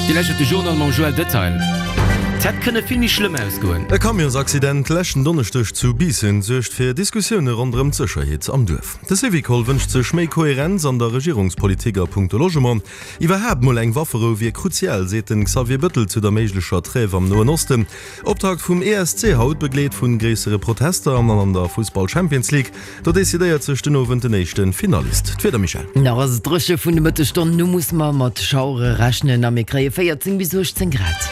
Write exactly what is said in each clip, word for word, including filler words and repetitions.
Dir lauschtert de Journal mam Joël Detail. Et hätt kënne vill méi schlëmm ausgoen. E Camionsaccident leschten Donneschdeg zu Biissen suergt fir Diskussioune ronderëm d'Sécherheet am Duerf. De Syvicol wënscht sech méi Koherenz an der Regierungspolitik a punkto Logement. Iwwerhaapt mol eng Wafferou wier kruzial, seet den Xavier Bëttel zu der méiglecher Trêve am Noen Osten. Optakt vum E S C haut, begleet vu gréissere Protester an an der Fussball-Champions League. Do decidéiert sech den Owend den éischte Finalist. D'Wieder, Michèle? Nach ass et dréche vun de Mëttesstonnen u musse mer mat Schauere rechnen a mir kréie véierzéng bis uechtzéng Grad.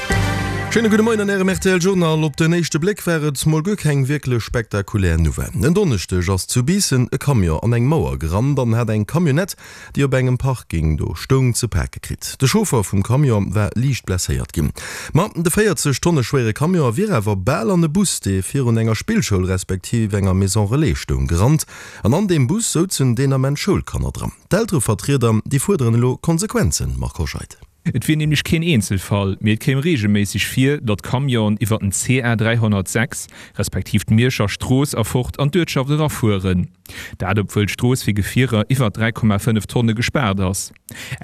Schéine gudde Moien an Ärem R T L-Journal. Op den éischte Bléck war et mol guer keng wierklech spektakulär Nouvelle. En Donneschdeg ass zu Biissen e Camion an eng Mauer gerannt an hat eng Camionnette, déi op engem Parking do stoung, ze pake kritt. De Chauffer vum Camion war liicht blesséiert ginn. Ma de véierzeg Tonne schwéiere Camion wier awer bal an e Bus, dee virun enger Spillschoul respektiv enger Maison Relais stoung, gerannt. An an deem Bus souzen deen Ament Schoulkanner dran. D'Elterevertrieder, déi fuerderen elo Konsequenzen, Marc Hoscheid. Et wier nämlech keen Eenzelfall, mee et kéim reegelméisseg vir, datt Camionen iwwer den C A dräihonnertsechs respektiv d'Mierscher Strooss erfort an d'Uertschaft erafueren. Dat obwuel d'Strooss fir Gefierer iwwer dräi Komma fënnef Tonne gespaart ass.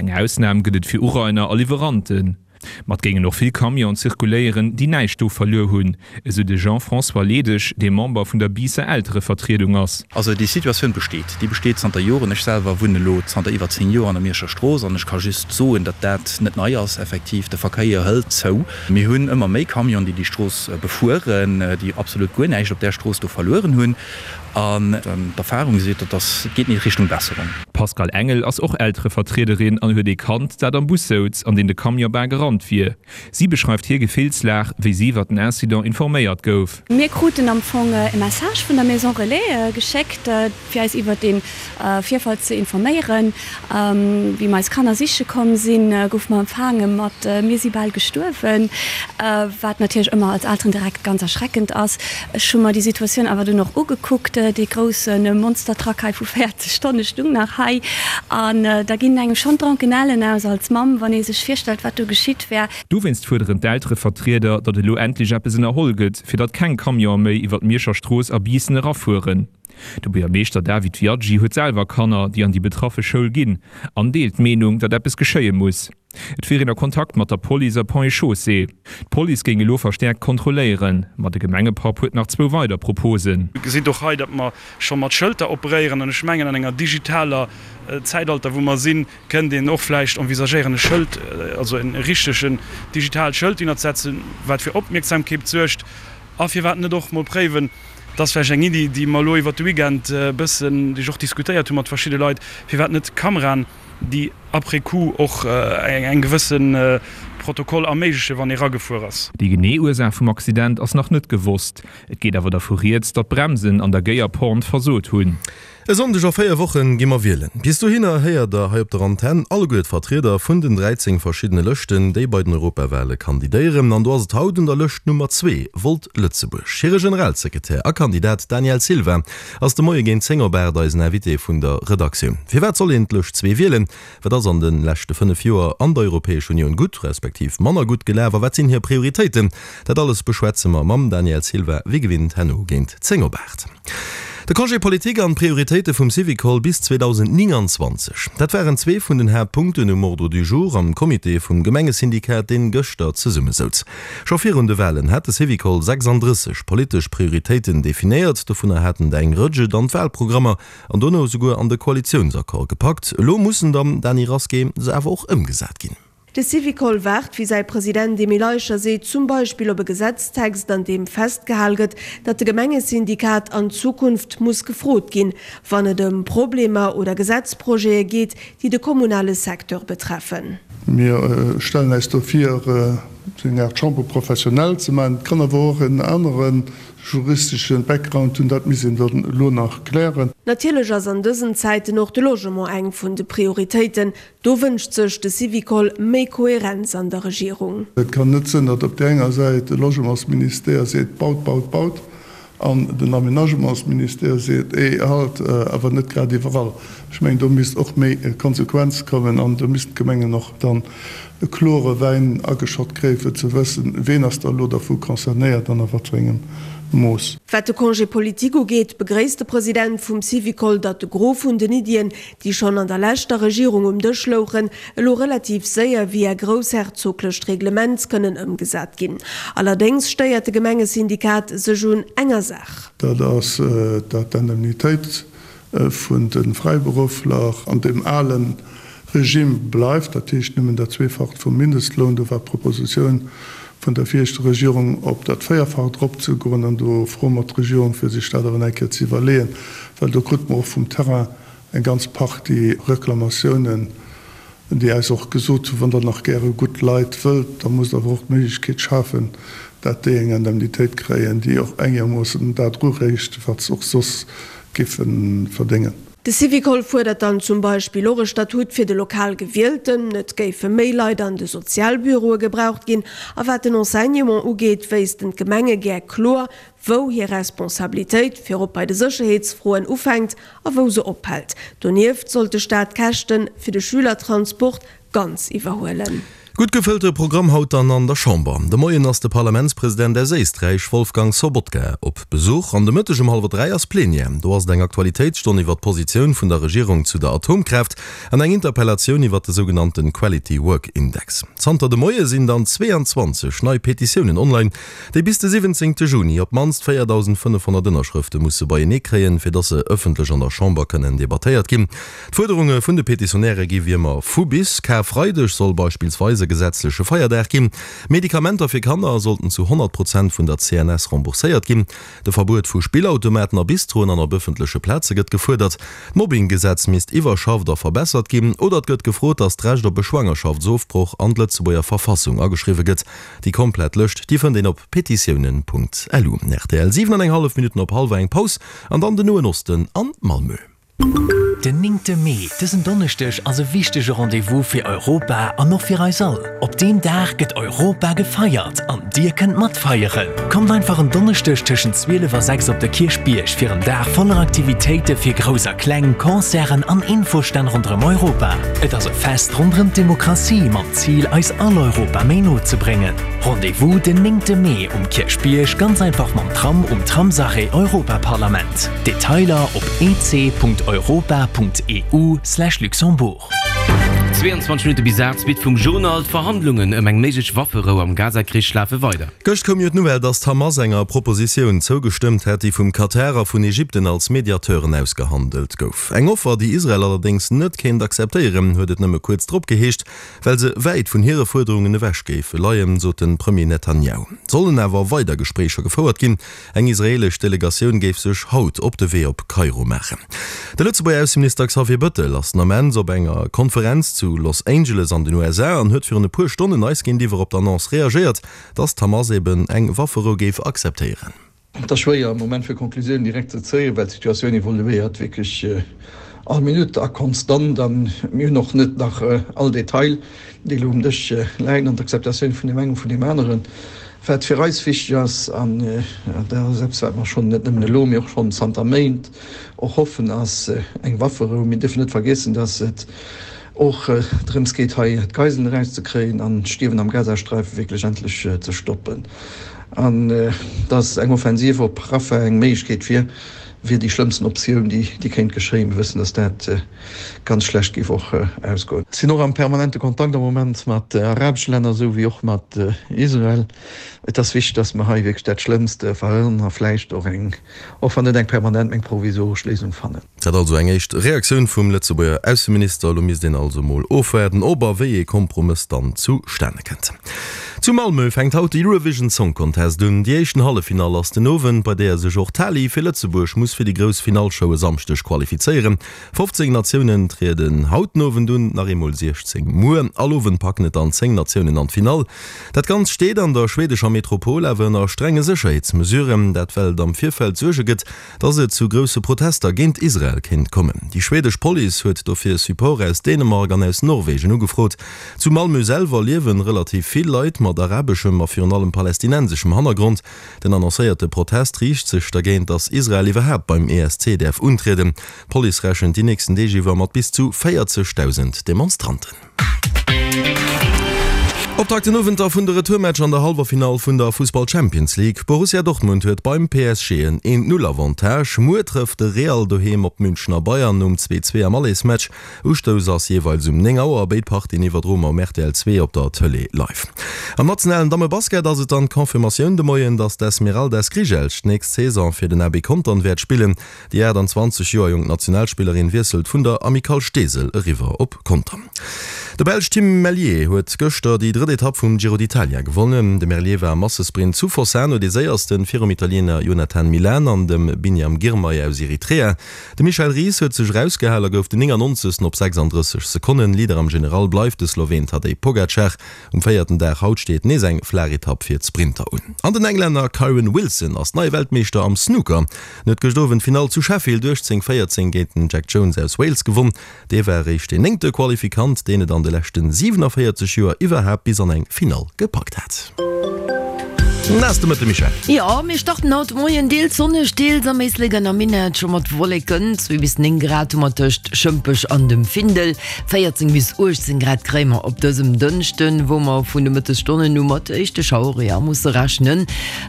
Eng Ausnam gëtt et fir Urainer a Liwweranten. Ma et géingen och vill Camionen zirkuléieren, déi näischt do verluer hunn, esou de Jean-François Ledig, dee Member vun der Biisser Elterevertriedung ass. Also déi Situatioun besteet. Déi besteet zanter Joren. Ech selwer wunnen elo zanter iwwer zéng Joer an der Mierscher Strooss an ech ka just soen, datt dat net nei ass. Effektiv, de Verkéier hëlt zou. Mir hunn ëmmer méi Camionen, déi déi Strooss befueren, déi absolut guer näischt op där Strooss do verlueren hunn. An d'Erfahrung seet, dat ass, et geet net Richtung Besserung. D'Pascale Engel ass och Elterevertriederin an huet ee Kand, dat am Bus souz, an deen de Camion bal gerannt wier. Si beschreift hir Gefillslag, wéi si iwwer den Incident informéiert gouf. Mir kruten am Fong e Message vun der Maison Relais geschéckt, fir eis iwwer dee Virfall ze informéieren. Wéi mer eis Kanner siche komm sinn, goufe mer empfaange mat Mir si bal gestuerwen, wat natierlech ëmmer als Elteren direkt ganz erschreckend ass. Ech hu mer déi Situatioun awer dunn och ugekuckt. Dee grousse Monstertruck hei vu véierzeg Tonne stung nach hei. An da ginn engem schonn d'Drankenellen aus als Mamm, wann ee sech virstellt, wat do geschitt wär. Dowéinst fuerderen d'Elterevertrieder, datt elo endlech eppes ënnerholl gëtt, fir datt keng Camionë méi iwwer d'Mierscher Strooss a Biissen erafueren. De Buergermeeschter David Viaggi huet selwer Kanner, déi an déi betraffe Schoul ginn, an deelt d'Meenung, datt eppes geschéie muss. Et wier een a Kontakt mat der Police a Ponts et Chaussées. D'Police géing elo verstäerkt kontrolléieren, ma de Gemengepapp huet nach zwou weider Proposen. Dir gesitt och hei, datt mer scho mat Schëlter operéieren. An ech mengen, an enger digitaler Zäitalter, wou mer sinn, kënnt een och vläicht envisagéieren, e Schëld, also e richtegen digitaalt Schëld hinnerzesetzen, wat fir Opmierksamkeet suergt. A firwat net och mol préiwen, dat ass vläicht eng Iddi, déi mer elo iwwert de Weekend e bëssen, déi ech och diskutéiert hu mat verschidde Leit, firwat net Kameraen, déi après coup och eng gewësse Protokoll erméiglechen, wann ee ragefuer ass. Déi genee Ursaach vum Accident ass nach net gewosst. Et geet awer dervu rieds, datt d'Bremsen an der géier Pente versot hunn. E Sonndeg a véier Wochen gi mer wielen. Bis dohinner héiert der hei op der Antenn alleguer d'Vertrieder vun den dräizéng verschiddene Lëschten, déi bei den Europawale kandidéieren. An do ass et haut un der Lëscht Nummer zwee, Volt Lëtzebuerg. Hire Generalsekretär a Kandidat Daniel Silva ass de Moie géint zéng op aacht eisen Invité vun der Redaktioun. Firwat soll een d'Lëscht zwee wielen? Wat ass an de leschte fënnef Joer an der Europäesch Unioun gutt, respektiv manner gutt gelaf a wat sinn hir Prioritéiten? Dat alles beschwätze mer mam Daniel Silva wéi gewinnt herno géint zéng op aacht. De Congé politique an d'Prioritéite vum Syvicol bis zweedausendnénganzwanzeg, dat waren zwee vun den Haaptpunkten um Ordre du jour am Comité vum Gemengesyndikat, deen gëschter zesummesouz. Scho virun de Walen hat de Syvicol sechsanddrësseg politesch Prioritéiten definéiert, dovunner haten der eng Rëtsch et an d'Walprogrammer an dono esouguer an de Koalitiounsaccord gepackt. Elo mussen dann, Dany Rasqué, se awer och ëmgesat ginn. De Syvicol waart, wéi säi President Emile Eicher seet, zum Beispill op e Gesetztext, an deem festgehal gëtt, datt de Gemengesyndikat an Zukunft muss gefrot ginn, wann et ëm Problemer oder Gesetzprojete geet, déi de kommunale Secteur betreffen. Mir stellen eis do vir, sou eng Aart Chambre professionnelle ze maachen. Et kann awer och en anere juristesche Background hunn, dat misst een dann elo nach klären. Natierlech ass an dësen Zäiten och de Logement eng vun de Prioritéiten. Do wënscht sech de Syvicol méi Kohärenz an der Regierung. Et kann net sinn, datt op där enger Säit de Logementsministère seet, baut, baut, baut, an den Aménagementsministère seet, eh, halt, awer net grad iwwerall. Ech mengen, do misst och méi Konsequenz kommen an do missten d'Gemengen och dann e klore Wäin ageschott kréien, fir ze wëssen, ween ass da elo dervu concernéiert an a wat fir engem Mooss. Wat de Congé politique ugeet, begréisst de President vum Syvicol, datt de Gros vun den Iddien, déi schonn an der leschter Regierung um Dësch louchen, elo relativ séier via groussherzoglecht Reglement kënnen ëmgesat ginn. Allerdéngs stéiert de Gemengesyndikat sech un enger Saach. Dat ass, datt d'Indemnitéit vun de Fräiberuffler an deem ale Regime bleift, dat heescht nëmmen dat Zweefacht vum Mindestloun. Do war d'Propositioun vun der viregter Regierung, op dat Véierfacht eropzegoen. An do froe mer d'Regierung, fir sech dat awer eng Kéier ze iwwerleeën, well do krute mer och vum Terrain eng ganz Partie Reklamatiounen, déi eis och gesot hunn, Wann Der nach gäre gutt Leit wëllt, da musst Der awer och d'Méiglechkeet schafen, dat déi eng Indemnitéit kréien, déi och engermoossen dat erureecht, wat se och soss géife verdéngen. De Syvicol fuerdert dann zum Beispill och e Statut fir de lokal Gewielten, et géife méi Leit an de Sozialbüroe gebraucht ginn a wat den Enseignement ugeet, wéissten d'Gemenge gär kloer, wou hir Responsabilitéit, virop bei de Sécherheetsfroen, ufänkt a wou se ophält. Donieft sollt de Staat d'Käschte fir de Schülertransport ganz iwwerhuelen. Gutt gefëllte Programm haut dann an der Chamber. De Moien ass de Parlamentspresident aus Éisträich, Wolfgang Sobotka, op Besuch an de Mëtteg um hallwer dräi ass Plenière. Do ass et eng Aktualitéitsstonn iwwer d'Positioun vun der Regierung zu der Atomkraaft an eng Interpellatioun iwwer de sougenannte Quality Work Index. Zanter de Moie sinn dann zweeanzwanzeg nei Petitiounen online, déi bis de siwwenzéngte Juni op d'mannst véierdausendfënnefhonnert Ënnerschrëfte musse beienee kréien, fir datt se ëffentlech an der Chamber kënnen debattéiert ginn. D'Fuerderunge vun de Petitionäre gi wéi ëmmer vu bis. Karfreideg soll beispillsweis e gesetzleche Feierdag ginn. Medikamenter fir Kanner sollten zu honnert Prozent vun der C N S rembourséiert ginn. De Verbuet vu Spillautomaten a Bistroen an op ëffentleche Plaze gëtt gefuerdert. D'Mobbinggesetz misst iwwerschafft a verbessert ginn. Oder et gëtt gefrot, datt d'Recht op e Schwangerschaftsofbroch an d'Lëtzebuerger Verfassung ageschriwwe gëtt. Déi komplett Lëscht, déi fënnt een op petitiounen Punkt lu. Rtl, Siwen an eng hallef Minutten op hallwer eng. Paus an dann den Noen Osten an Malmö. Den néngte Mee, dësen Donneschdeg, ass e wichtege Rendez-vous fir Europa an och fir eis all. Op deem Dag gëtt Europa gefeiert an dir kënnt matfeieren! Kommt einfach en Donneschdeg tëschent zwielef a sechs op de Kierchbierg fir en Dag voller Aktivitéite fir Grouss a Kleng, Concerten an Infostänn ronderëm Europa. Et ass e Fest ronderëm d'Demokratie mam Zil, eis all Europa méi no ze bréngen. Rendez-vous den néngte Mee um Kierchbierg, ganz einfach mam Tram um Tramsarrêt Europaparlament. Detailer op e c Punkt europa Punkt e u Slash Luxembourg. Zweeanzwanzeg Minutte bis aacht, Suite vum Journal, D'Verhandlungen ëm eng méiglech Wafferou am Gaza-Krich lafe weider. Gëscht koum jo d'Nouvelle, datt d'Hamas enger Propositioun zougestëmmt hätt, déi vum Katar a vun Ägypten als Mediateuren ausgehandelt gouf. Eng Offer, déi Israel allerdéngs net kéint akzeptéieren, huet et nëmme kuerz drop geheescht, well se wäit vun hire Fuerderungen ewech géif leien, sot de Premier Netanjahu. Et sollen awer weider Gespréicher gefouert ginn. Eng israeelesch Delegatioun géif sech haut op de Wee op Kairo maachen. De Lëtzebuerger Ausseminister Xavier Bëttel ass den Ament op enger Konferenz zu Los Angeles an den U S A an huet virun e puer Stonnen eis géintiwwer op d'Annonce reagéiert, datt d'Hamas eben eng Wafferou géif akzeptéieren. Et ass schwéier am Moment fir Conclusiounen direkt ze zéien, well d'Situatioun evoluéiert wierklech all Minutt a konstant a mir hunn och net nach all Detail, déi elo um Dësch läien an d'Akzeptatioun vun deem engem, vun deem aneren. Wat fir eis wichteg ass, an dat ass eppes, wat mer schonn net nëmmen elo, mee och schonn zanter Méint och hoffen, ass eng Wafferou. Mir dierfen net vergiessen, dass et och drëms geet, hei d'Geiselen erauszekréien an d'Stierwen am Gazasträife wierklech endlech ze stoppen. An dass eng Offensiv op Rafah eng Méiglechkeet wier, wier déi schlëmmsten Optioun, déi kéint geschéien. Mir wëssen, dass dat ganz schlecht géif och ausgoen. Sinn och am permanente Kontakt am Moment mat arabesche Länner esou wéi och mat Israel. Et ass wichteg, dass mer hei wierklech dat Schlëmmst verhënneren a vläicht och eng, och wann net eng permanent, mä eng provisoresch Léisung fannen. Dat also eng éischt Reaktioun vum Lëtzebuerger Ausseminister. Elo misst een also mol ofwaarden, ob a wéi ee Kompromëss dann zustane kënnt. Zu Malmö fänkt haut de Eurovision Song Contest un. Déi éischten Halleffinall ass den Owend, bei deeër sech och d'Tali fir Lëtzebuerg muss fir déi grouss Finallshow e Samschdeg qualifizéieren. fofzéng Natiounen trieden haut den Owend un, nach eemol siechzéng muer. All Owend packen et dann zéng Natiounen an d'Finall. Dat Ganzt steet an der schwedescher Metropol awer ënner strenge Sécherheetsmesuren, dat well et am Virfeld Suerge gëtt, dass et zu grousse Protester géint Israel kéint kommen. Déi schwedesch Police huet dofir Support aus Dänemark an aus Norwegen ugefrot. Zu Malmö selwer liewe relativ vill Leit mat arabeschem a virun allem palästinenseschem Hannergrond. Den annoncéierte Protest riicht sech dergéint, dass Israel iwwerhaapt beim E S C däerf untrieden. D'Police rechent déi nächsten Deeg iwwer mat bis zu véierzegdausend Demonstranten. Optakt den Owend da vun de Retourmatch an der Hallwerfinall vun der Fussball Champions League. Borussia Dortmund huet beim P S G en een Null Avantage. Muer trëfft de Real doheem op d'Münchener Bayern nom zwee zwee am Allersmatch. Ustouss ass jeeweils um néng Auer. Béid Partien iwwerdroe mer um R T L zwee op der Tëlee live. Am nationalen Dammebasket ass et dann d'Confirmatioun de Moien, datt d'Esmeralda Skrijelj d'nächst Saison fir den A B Contern wäert spillen. Déi achtanzwanzeg Joer jonk Nationalspillerin wiesselt vun der Amicale Steesel eriwwer op Contern. De Belsch Tim Merlier huet gëschter déi drëtt Etapp vum Giro d'Italia gewonnen. De Merlier war am Massesprint zu Fossano dee Séiersten, virum Italiener Jonathan Milan an dem Biniam Girmay aus Eritrea. De Michael Ries huet sech erausgehal a gouf den néngannonzegsten op sechsanddrësseg Sekonnen. Leader am General bleift de Sloween Tadej Pogacar. Um véierten Dag haut steet nees eng flaach Etapp fir d'Sprinter un. An den Englänner Kyren Wilson ass neie Weltmeeschter am Snooker. En huet gëscht Owend d'Finall zu Sheffield uechtzéng véierzéng géint den Jack Jones aus Wales gewonn. Dee war eréischt deen néngte Qualifikant, deen et an de leschte siwenavéierzeg Joer iwwerhaapt bis an eng Finall gepackt hat. Naass de Mëtte Michèle. Jo, mir starten haut de Moien deels sonneg, deels am Éislek an am Minett scho mat Wolleken. Zwee bis néng Grad hu mer tëscht Schëmpech an dem Findel, véierzéng bis uechtzéng Grad kréie mer op dësem Dënschden, wou mer vun de Mëttesstonnen u mat éischte Schauere, jo, musse rechnen.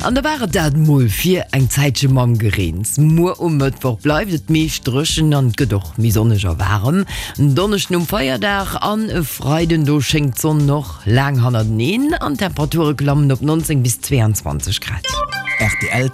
An da war et dat mol fir eng Zäitche mam Gereens. Muer um Mëttwoch bleift et meescht dréchen an et gëtt och méi sonneg a waarem. En Donneschden um Feierdag an e Freiden, do schéngt d'Sonn och laang hannerteneen an d'Temperature klammen op nonzéng bis zweeanzwanzeg Grad. Rtl.